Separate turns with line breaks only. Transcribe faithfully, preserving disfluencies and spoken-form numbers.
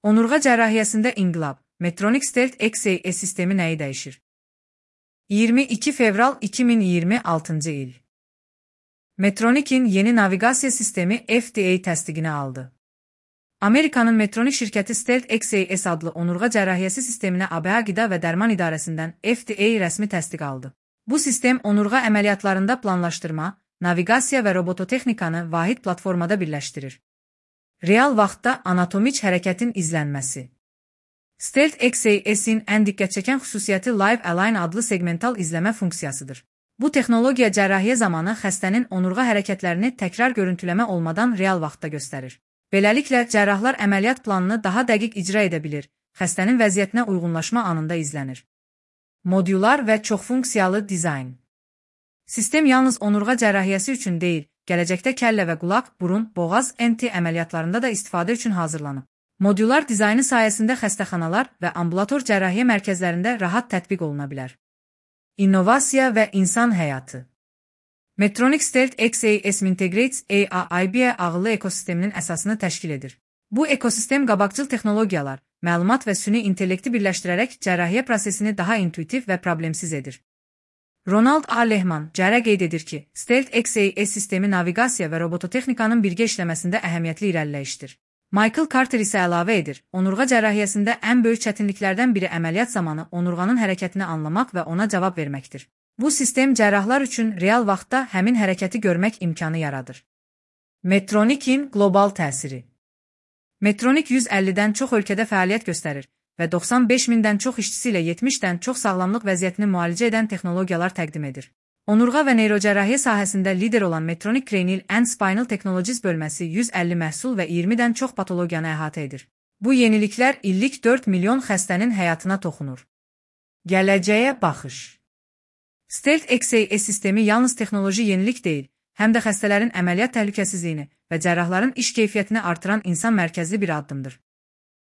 Onurğa cərrahiyyəsində inqilab. Medtronic Stealth X A S sistemi nəyi dəyişir? iyirmi iki fevral iki min iyirmi altıncı il. Medtronic'in yeni naviqasiya sistemi F D A təsdiqini aldı. Amerikanın Medtronic şirkəti Stealth X A S adlı onurğa cərrahiyyəsi sisteminə A B A Qida və Dərman İdarəsindən F D A rəsmi təsdiq aldı. Bu sistem onurğa əməliyyatlarında planlaşdırma, naviqasiya və robototexnikanı vahid platformada birləşdirir. Real vaxtda anatomik hərəkətin izlənməsi. Stealth X A S'in ən diqqətçəkən xüsusiyyəti Live Align adlı segmental izləmə funksiyasıdır. Bu texnologiya cərrahiyyə zamanı xəstənin onurğa hərəkətlərini təkrar görüntüləmə olmadan real vaxtda göstərir. Beləliklə, cərrahlar əməliyyat planını daha dəqiq icra edə bilir, xəstənin vəziyyətinə uyğunlaşma anında izlənir. Modular və çoxfunksiyalı dizayn. Sistem yalnız onurğa cərrahiyyəsi üçün deyil, gələcəkdə kəllə və qulaq, burun, boğaz, N T əməliyyatlarında da istifadə üçün hazırlanıb. Modular dizaynı sayəsində xəstəxanalar və ambulator cərrahiyyə mərkəzlərində rahat tətbiq oluna bilər. İnnovasiya və insan həyatı. Medtronic Stealth X A S Integrates A I B ağıllı ekosisteminin əsasını təşkil edir. Bu ekosistem qabaqcıl texnologiyalar, məlumat və süni intellekti birləşdirərək cərrahiyyə prosesini daha intuitiv və problemsiz edir. Ronald A. Lehman cərə qeyd edir ki, Stealth X A S sistemi naviqasiya və robototexnikanın birgə işləməsində əhəmiyyətli irəliləyişdir. Michael Carter isə əlavə edir, onurğa cərrahiyyəsində ən böyük çətinliklərdən biri əməliyyat zamanı onurğanın hərəkətini anlamaq və ona cavab verməkdir. Bu sistem cərrahlar üçün real vaxtda həmin hərəkəti görmək imkanı yaradır. Medtronic'in qlobal təsiri. Medtronic yüz əllidən çox ölkədə fəaliyyət göstərir və doxsan beş mindən çox işçisi ilə yetmişdən çox sağlamlıq vəziyyətini müalicə edən texnologiyalar təqdim edir. Onurğa və neyrocərrahiyyə sahəsində lider olan Medtronic Cranial and Spinal Technologies bölməsi yüz əlli məhsul və iyirmidən çox patologiyanı əhatə edir. Bu yeniliklər illik dörd milyon xəstənin həyatına toxunur. Gələcəyə baxış. Stealth X A S sistemi yalnız texnoloji yenilik deyil, həm də xəstələrin əməliyyat təhlükəsizliyini və cərrahların iş keyfiyyətini artıran insan mərkəzli bir addımdır.